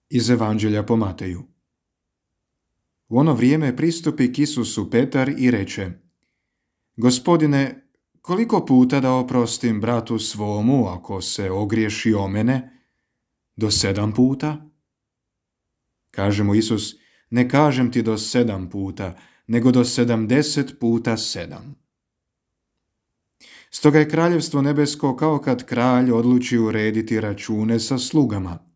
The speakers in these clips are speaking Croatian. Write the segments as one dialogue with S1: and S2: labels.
S1: Iz Evanđelja po Mateju. U ono vrijeme pristupi k Isusu Petar i reče: Gospodine, koliko puta da oprostim bratu svomu ako se ogriješi o mene? Do 7 puta? Kaže mu Isus: ne kažem ti do 7 puta, nego do 70 puta 7. Stoga je kraljevstvo nebesko kao kad kralj odluči urediti račune sa slugama.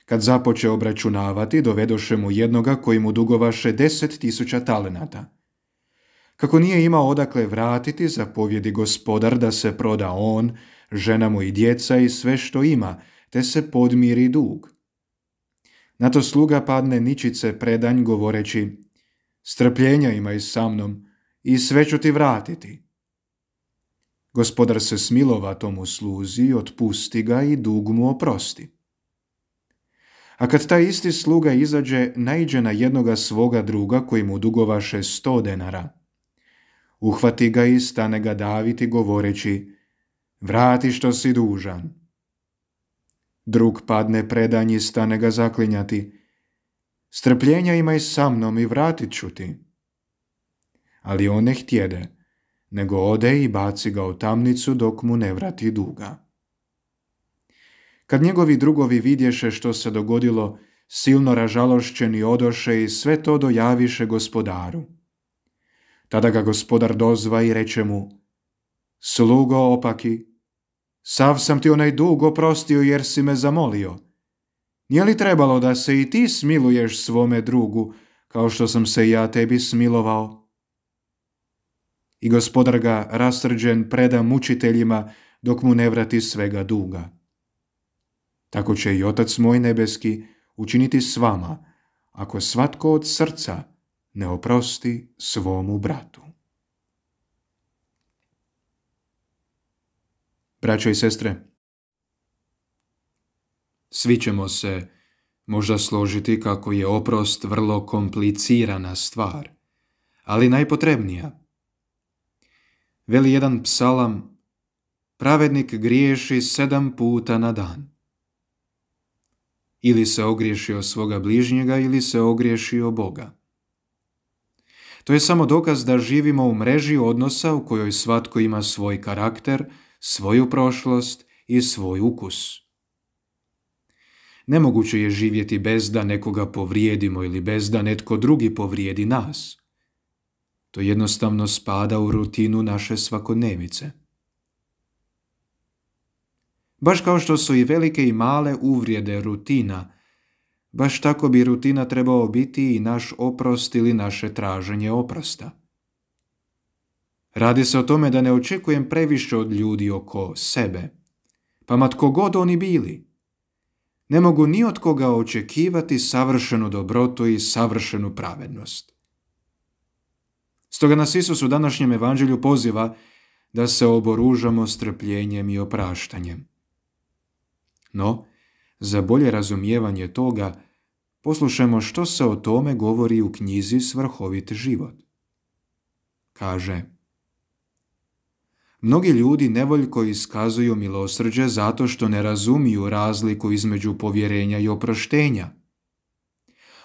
S1: Kad započe obračunavati, dovedoše mu jednoga koji mu dugovaše 10.000 talenata. Kako nije imao odakle vratiti, zapovjedi gospodar da se proda on, žena mu i djeca i sve što ima, te se podmiri dug. Na to sluga padne ničice predanj govoreći: strpljenja imaj sa mnom i sve ću ti vratiti. Gospodar se smilova tomu sluzi, otpusti ga i dug mu oprosti. A kad taj isti sluga izađe, naiđe na jednoga svoga druga koji mu dugovaše 100 denara. Uhvati ga i stane ga daviti govoreći: vrati što si dužan. Drug padne predanj i stane ga zaklinjati: strpljenja imaj sa mnom i vratit ću ti. Ali on ne htjede, nego ode i baci ga u tamnicu dok mu ne vrati duga. Kad njegovi drugovi vidješe što se dogodilo, silno ražalošćeni odoše i sve to dojaviše gospodaru. Tada ga gospodar dozva i reče mu: slugo opaki, sav sam ti onaj dug oprostio jer si me zamolio. Nije li trebalo da se i ti smiluješ svome drugu, kao što sam se ja tebi smilovao? I gospodar ga rasrđen preda mučiteljima dok mu ne vrati svega duga. Tako će i Otac moj nebeski učiniti s vama, ako svatko od srca ne oprosti svomu bratu. Braćo i sestre, svi ćemo se možda složiti kako je oprost vrlo komplicirana stvar, ali najpotrebnija. Veli jedan psalam: pravednik griješi 7 puta na dan. Ili se ogriješi o svoga bližnjega, ili se ogriješi o Boga. To je samo dokaz da živimo u mreži odnosa u kojoj svatko ima svoj karakter, svoju prošlost i svoj ukus. Nemoguće je živjeti bez da nekoga povrijedimo ili bez da netko drugi povrijedi nas. To jednostavno spada u rutinu naše svakodnevice. Baš kao što su i velike i male uvrede rutina, baš tako bi rutina trebao biti i naš oprost ili naše traženje oprosta. Radi se o tome da ne očekujem previše od ljudi oko sebe, pa ma tko god oni bili. Ne mogu ni od koga očekivati savršenu dobrotu i savršenu pravednost. Stoga nas Isus u današnjem evanđelju poziva da se oboružamo strpljenjem i opraštanjem. No, za bolje razumijevanje toga, poslušajmo što se o tome govori u knjizi Svrhovit život. Kaže: mnogi ljudi nevoljko iskazuju milosrđe zato što ne razumiju razliku između povjerenja i oproštenja.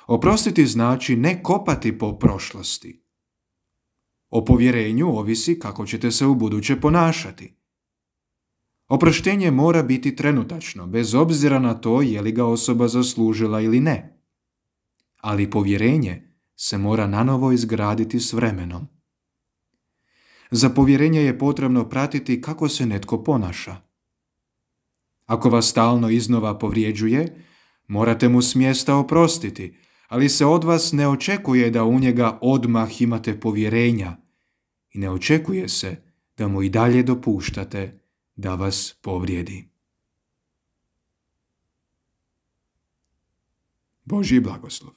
S1: Oprostiti znači ne kopati po prošlosti. O povjerenju ovisi kako ćete se ubuduće ponašati. Oproštenje mora biti trenutačno, bez obzira na to je li ga osoba zaslužila ili ne. Ali povjerenje se mora nanovo izgraditi s vremenom. Za povjerenje je potrebno pratiti kako se netko ponaša. Ako vas stalno iznova povrijeđuje, morate mu s mjesta oprostiti, ali se od vas ne očekuje da u njega odmah imate povjerenja i ne očekuje se da mu i dalje dopuštate da vas povrijedi. Božji blagoslov.